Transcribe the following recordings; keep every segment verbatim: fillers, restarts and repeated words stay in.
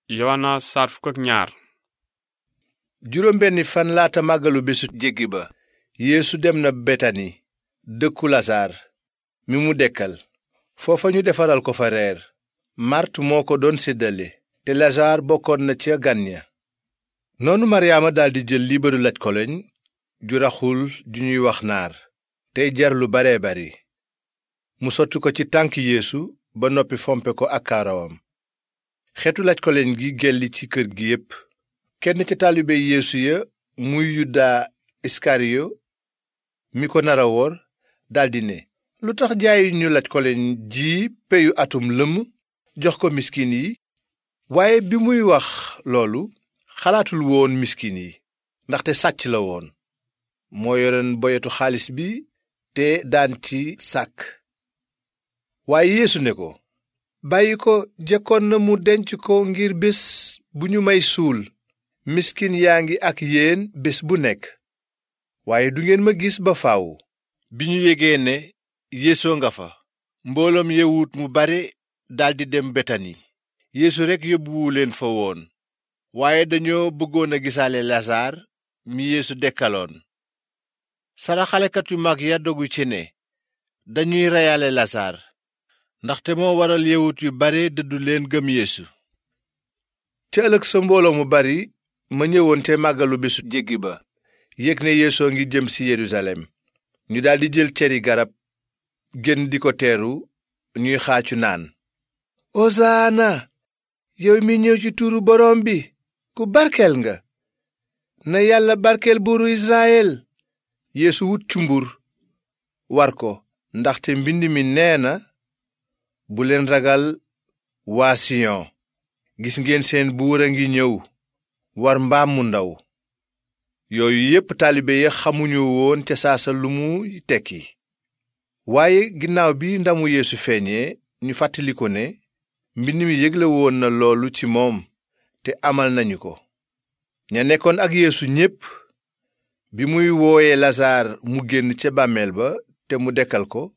Yowaana saar fukk ak ñaar. juróom benni fan laata màggalu bésu jéggi ba yeesu dem na betani dëkku lasaar mi mu dekkal foofa ñu defaral ko fa reer. màrt moo ko doon séddale te lasaar bokkoon na ca gan ña. noonu maryaama daldi jël liibaru laj koloñ ju raxul ju ñuy wax naar tey jar lu bare bari mu sotti ko ci tànk yeesu ba noppi fompe ko ak kaarawam. xeetu laj koloñ gi gelli ci kër gi yépp. kenn ca taalibe yeesu ya muy yuda iskariyo mi ko nara wor daldi ne, lu tax jaayu ñu laj koloñ ji peyu atum lëmm jox ko miskin yi? waaye bi muy wax loolu xalaatul woon miskin yi, ndaxte sàcc la woon. moo yoroon boyetu xaalis bi te daan ci sàkk. waaye yeesu ne ko, bàyyi ko, jekkoon na mu denc ko ngir bés bu ñu may suul. miskin yaa ngi ak yéen bés bu nekk, waaye du ngeen ma gis ba faaw. bi ñu yégee ne yeesoo nga fa, mbooloom yewut mu bare daldi dem betani. yeesu rekk yóbbuwu leen fa woon, waaye dañoo bëggoon a gisaale lasaar mi yeesu dekkaloon. saraxalekat yu mag ya dogu ci ne dañuy reyaale lasaar, ndaxte moo waral yewut yu bare dëddu leen gëm yeesu. ca ëllëg sa mbooloo mu bari ma ñëwoon te màggalu bésu jéggi ba yëg ne yeesoo ngi jëm si yerusalem. ñu daldi jël ceri garab génn di ko teeru, ñuy xaacu naan, osaana yow mi ñëw ci turu boroom bi, ku barkeel nga. na yàlla barkeel buuru israyel. yeesu wut cumbur war ko, ndaxte mbind mi nee na, bu leen ragal waa siyon, gis ngeen seen buur a ngi ñëw war mbaam mu ndaw. yooyu yépp taalibe ya xamuñu woon ca saasa lu mu tekki. waaye ginnaaw bi ndamu yeesu feeñee, ñu fàttali ko ne mbind mi yégle woon na loolu ci moom te amal nañu ko. ña nekkoon ak yeesu ñépp bi muy wooye lasaar mu génn ca bàmmeel ba te mu dekkal ko,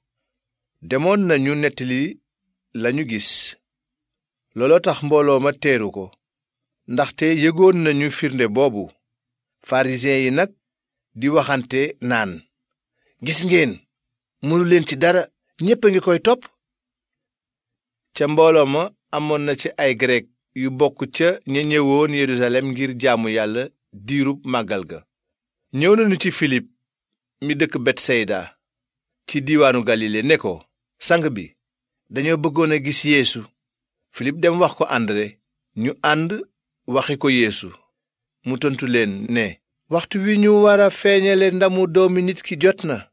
demoon nañu nettali lañu gis. looloo tax mbooloo ma teeru ko, ndaxte yëgoon nañu firnde boobu. farisiyen yi nag di waxante naan, gis ngeen, mënu leen ci dara, ñépp a ngi koy topp. ca mbooloo ma amoon na ci ay grek yu bokk ca ña ñëwoon yerusalem ngir jaamu yàlla diirub màggal ga. ñëw nañu ci filip mi dëkk betsayda ci diiwaanu galile ne ko, sang bi, dañoo bëggoon a gis yeesu. filip dem wax ko andre, ñu ànd waxi ko yeesu. mu tontu leen ne, waxtu wi ñu war a feeñale ndamu doomi nit ki jot na.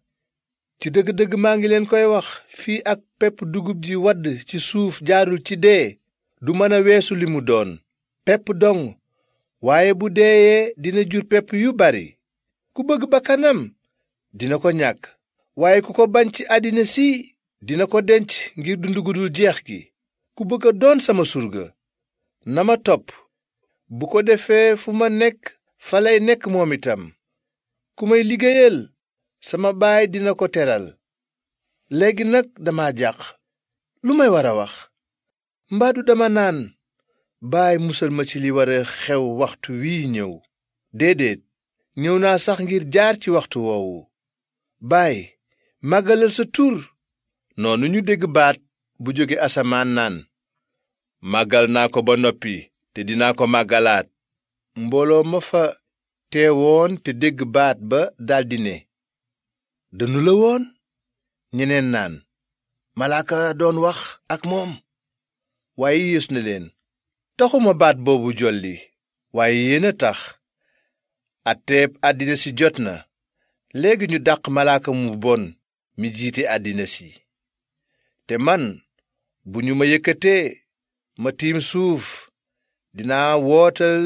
ci dëgg-dëgg maa ngi leen koy wax, fii ak pepp dugub ji wadd ci suuf jaarul ci dee, du mën a weesu li mu doon, pepp dong, waaye bu deeyee dina jur pepp yu bari. ku bëgg bakkanam dina ko ñàkk, waaye ku ko bañ ci àddina si dina ko denc ngir dund gu dul jeex gi. ku bëgg a doon sama surga na ma topp, bu ko defee fu ma nekk fa lay nekk moom itam. ku may liggéeyal sama baay dina ko teral. léegi nag dama jàq, lu may war a wax? mbaadu dama naan, baay musal ma ci li war a xew waxtu wii ñëw? déedéet, ñëw naa sax ngir jaar ci waxtu woowu. baay, màggalal sa tur. noonu ñu dégg baat bu jóge asamaan naan, màggal naa ko ba noppi te dinaa ko màggalaat. mbooloo ma fa teewoon te dégg baat ba daldi ne, dënnu la woon? ñeneen naan, malaaka doon wax ak moom. waaye yeesu ne leen, taxuma baat boobu jolli, waaye yéen a tax. atteeb àddina si jot na, léegi ñu dàq malaaka mu bon mi jiite àddina si. te man, bu ñu ma yëkkatee ma tiim suuf, dinaa wootal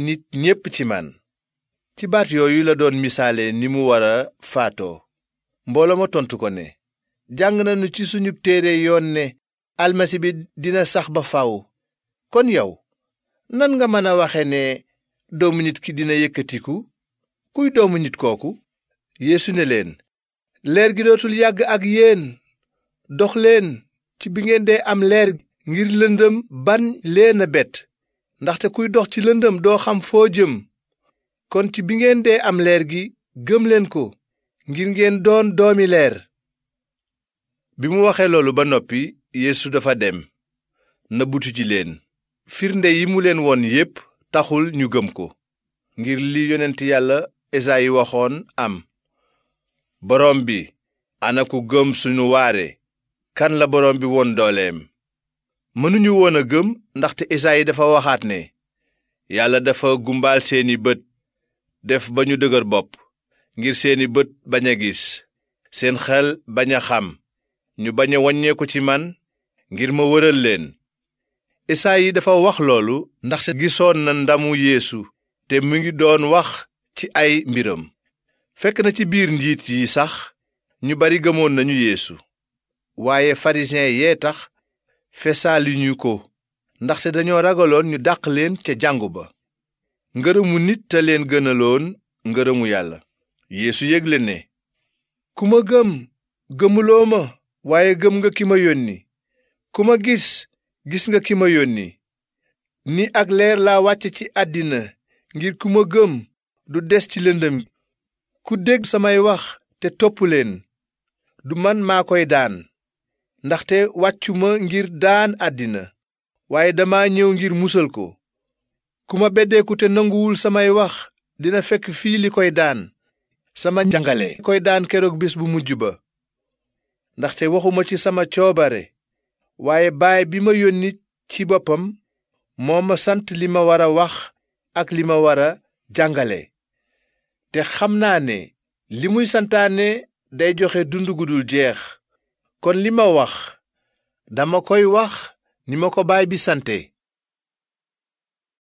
nit ñépp ci man. ci baat yooyu la doon misaale ni mu war a faatoo. mbooloo ma tontu ko ne, jàng nañu ci suñu téere yoon ne almasi bi dina sax ba faw. kon yow, nan nga mën a waxe ne doomu nit ki dina yëkkatiku? kuy doomu nit kooku? yeesu ne leen, leer gi dootul yàgg ak yéen. dox leen ci bi ngeen dee am leer ngir lëndëm ban leen a bett. ndaxte kuy dox ci lëndëm doo xam foo jëm. kon ci bi ngeen dee am leer gi gëm leen ko ngir ngeen doon doomi leer. bi mu waxee loolu ba noppi Yeesu dafa dem nëbbutu ci leen. firnde yi mu leen won yépp taxul ñu gëm ko, ngir li yonent yàlla Esayi waxoon am: boroom bi, ana ku gëm sunu waare, kan la boroom bi won dooleem. mënuñu woon a gëm ndaxte Esayi dafa waxaat ne yàlla dafa gumbaal seeni bët, def ba ñu dëgër bopp, ngir seeni bët bañ a gis, seen xel bañ a xam, ñu bañ a waññeeku ci man, ngir ma wëral leen. Esayi dafa wax loolu ndaxte gisoon na ndamu Yeesu te mu ngi doon wax ci ay mbiram. fekk na ci biir njiit yi sax ñu bari gëmoon nañu Yeesu, waaye farisiyen yee tax fesaaluñu ko, ndaxte dañoo ragaloon ñu dàq leen ca jàngu ba. ngërëmu nit te leen gënaloon ngërëmu yàlla. Yeesu yégle ne, ku ma gëm gëmuloo ma, waaye gëm nga ki ma yónni. ku ma gis gis nga ki ma yónni. ni ak leer laa wàcce ci àddina ngir ku ma gëm du des ci lëndëm. ku dégg samay wax te topp leen, du man maa koy daan, ndaxte wàccuma ngir daan àddina, waaye dama ñëw ngir musal ko. ku ma beddeeku te nanguwul samay wax dina fekk fii li koy daan, sama njàngale koy daan keroog bés bu mujj ba. ndaxte waxuma ci sama coobare, waaye baay bi ma yónni ci boppam moo ma sant li ma war a wax ak li ma war a jàngale. te xam naa ne li muy santaane day joxe dund gu dul jeex. kon li ma wax dama koy wax ni ma ko baay bi sante.